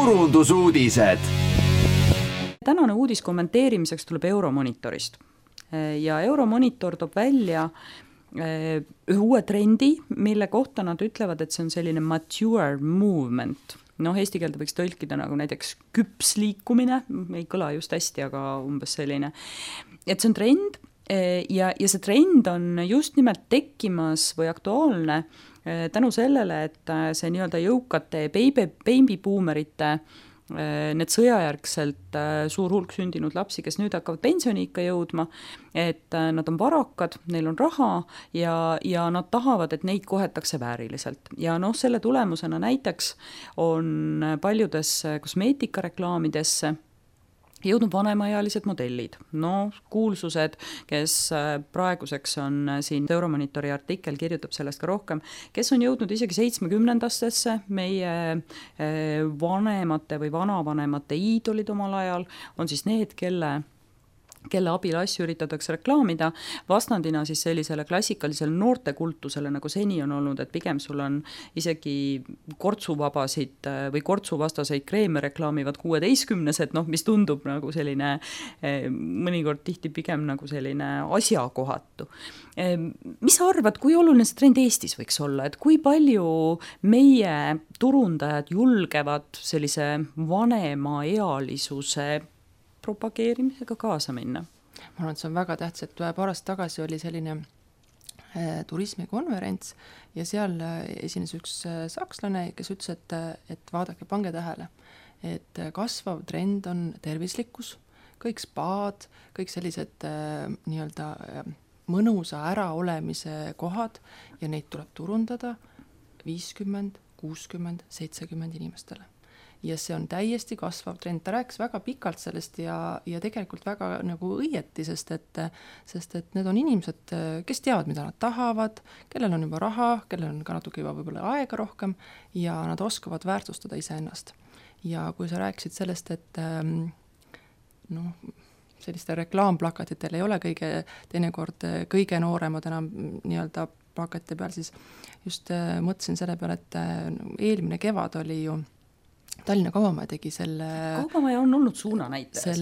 turundusuudised. Tänane uudis kommenteerimiseks tuleb Euromonitorist ja Euromonitor toob välja ühe uue trendi, mille kohta nad ütlevad, et see on selline mature movement. Eesti keelde võiks tõlkida nagu näiteks küps liikumine, ei kõla just hästi, aga umbes selline. Et see on trend ja see trend on just nimelt tekkimas või aktuaalne tänu sellele, et see nii-öelda jõukate babybuumerite need sõjajärgselt suur hulk sündinud lapsi, kes nüüd hakkavad pensioniikka jõudma, et nad on varakad, neil on raha ja nad tahavad, et neid kohetakse vääriliselt. Ja selle tulemusena näiteks on paljudesse kosmeetikareklaamidesse jõudnud vanemaealised modellid. Kuulsused, kes praeguseks on siin Euromonitori artikkel kirjutab sellest ka rohkem, kes on jõudnud isegi 70-ndastesse, meie vanemate või vanavanemate iidolid omal ajal, on siis need, kelle abil asju üritatakse reklaamida, vastandina siis sellisele klassikalisele noortekultusele, nagu seni on olnud, et pigem sul on isegi kortsuvabasid või kortsuvastaseid kreeme reklaamivad 16-sed, mis tundub nagu selline, mõnikord tihti pigem nagu selline asjakohatu. Mis sa arvad, kui oluline see trend Eestis võiks olla, et kui palju meie turundajad julgevad sellise vanemaealisuse propageerimisega kaasa minna? Ma arvan, et see on väga tähtis, et paar aastat tagasi oli selline turismikonverents ja seal esines üks sakslane, kes ütles, et vaadake, pange tähele, et kasvav trend on tervislikkus, kõik spaad, kõik sellised nii-öelda mõnusa äraolemise kohad ja neid tuleb turundada 50, 60, 70 inimestele. Ja see on täiesti kasvav trend. Ta rääkis väga pikalt sellest ja tegelikult väga nagu õieti, sest et need on inimesed, kes teavad, mida nad tahavad, kellel on juba raha, kellel on ka natuke juba võib-olla aega rohkem ja nad oskavad väärtustada iseennast. Ja kui sa rääkisid sellest, et selliste reklaamplakatitel ei ole teinekord kõige nooremad enam nii-öelda plakati peal, siis just mõtlesin selle peale, et eelmine kevad oli ju Tallinna Kaubamaja tegi selle... Kaubamaja on olnud suunanäitaja.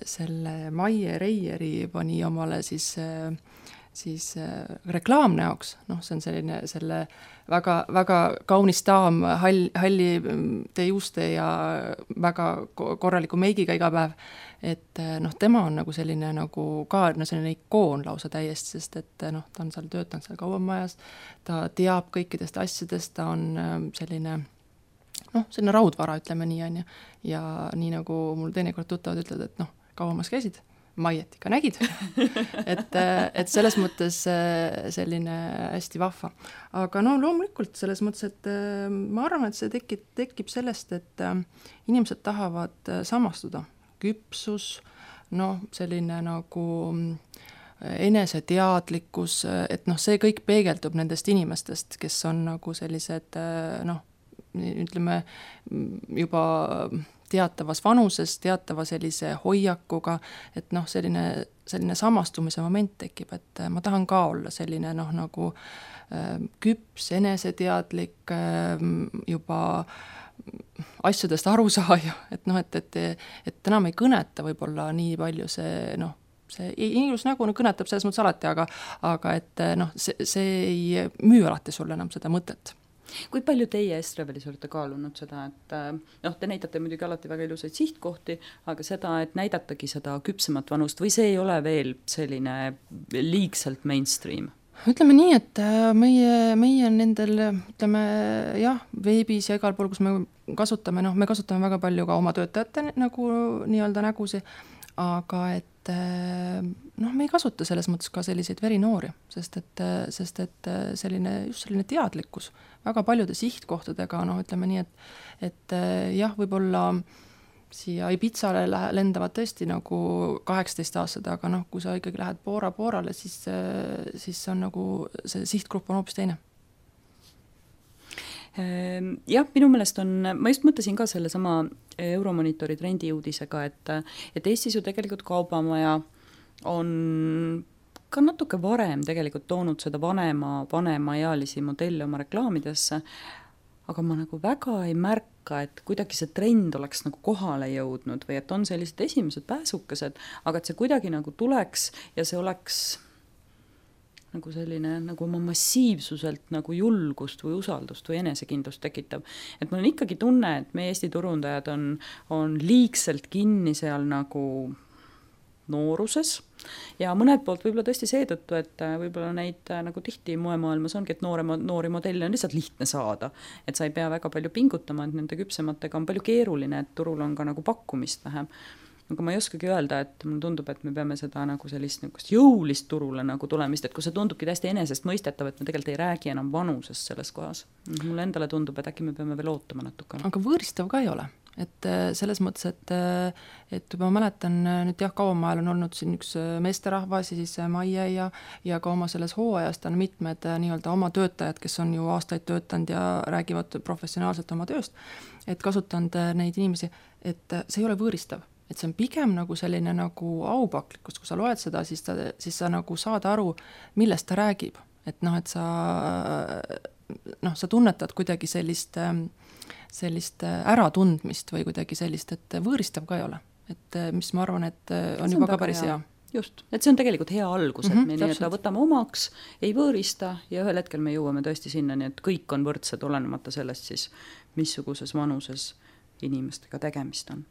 Selle Maie Reieri pani omale siis reklaamnäoks. See on selle väga, väga kaunis daam, halli juuste ja väga korraliku meigiga iga päev. Et tema on nagu selline nagu ka selline ikoon lausa täiesti, sest et ta on seal töötanud seal Kaubamajas, ta teab kõikidest asjadest, ta on selline selline raudvara, ütleme nii on ja nii nagu mul teinekord tuttavad ütlevad, et Kaubamajas käisid, Maiet ikka nägid, et selles mõttes selline hästi vahva. Aga loomulikult selles mõttes, et ma arvan, et see tekib sellest, et inimesed tahavad samastuda. Küpsus, selline nagu eneseteadlikkus, et see kõik peegeldub nendest inimestest, kes on nagu sellised, ütleme juba teatavas vanuses, teatava sellise hoiakuga, et selline samastumise moment tekib, et ma tahan ka olla selline nagu küps, eneseteadlik, juba asjadest arusaaja, et enam ei kõneta võib-olla nii palju see ilus nägu kõnetab selles mõttes alati, aga et see ei müü alati sulle enam seda mõtet. Kui palju teie Estrevelis olete kaalunud seda, et te näitate muidugi alati väga ilusaid sihtkohti, aga seda, et näidatagi seda küpsemat vanust või see ei ole veel selline liigselt mainstream? Ütleme nii, et meie nendel, ütleme veebis ja igal pool, kus me kasutame, me kasutame väga palju ka oma töötajate nagu nii-öelda nägusi, aga et me ei kasuta selles mõttes ka selliseid verinoori, sest et selline teadlikkus väga paljude sihtkohtadega, ütleme nii, et võib-olla siia Ibizale lendavad tõesti nagu 18-aastased, aga kui sa ikkagi lähed Poorale, siis on nagu see sihtgrupp on hoopis teine. Minu meelest ma just mõtlesin ka selle sama Euromonitori trendiuudisega, et Eestis ju tegelikult Kaubamaja on ka natuke varem tegelikult toonud seda vanemaealisi modelle oma reklaamidesse, aga ma nagu väga ei märka, et kuidagi see trend oleks nagu kohale jõudnud või et on sellised esimesed pääsukesed, aga et see kuidagi nagu tuleks ja see oleks nagu selline nagu oma massiivsuselt nagu julgust või usaldust või enesekindlust tekitav. Et mul on ikkagi tunne, et meie Eesti turundajad on liigselt kinni seal nagu nooruses ja mõned poolt võib-olla tõesti seetõttu, et võib-olla neid nagu tihti moemaailmas ongi, et noori modelle on lihtsalt lihtne saada, et sa ei pea väga palju pingutama, et nende küpsematega on palju keeruline, et turul on ka nagu pakkumist vähem. Aga ma ei oskagi öelda, et mulle tundub, et me peame seda nagu sellist jõulist turule nagu tulemist, et kui see tundubki täiesti enesest mõistetav, et me tegelikult ei räägi enam vanusest selles kohas. Mulle endale tundub, et äkki me peame veel ootama natuke. Aga võõristav ka ei ole. Et selles mõttes, et ma mäletan nüüd kauamaajal on olnud siin üks meesterahvas ja siis Maie ja ka oma selles hooajast on mitmed nii-öelda oma töötajad, kes on ju aastaid töötanud ja räägivad professionaalselt oma tööst, et kasutanud neid inimesi, et see ei ole võõristav. Et see on pigem nagu selline nagu aupaklikkus, kui sa loed seda, siis sa nagu saad aru, millest ta räägib. Et et sa tunnetad kuidagi sellist äratundmist või kuidagi sellist, et võõristav ka ei ole. Et mis ma arvan, et on juba ka päris hea. Just, et see on tegelikult hea algus, et me nii-öelda võtame omaks, ei võõrista ja ühel hetkel me jõuame tõesti sinna, nii et kõik on võrdsed, olenemata sellest siis, missuguses vanuses inimestega tegemist on.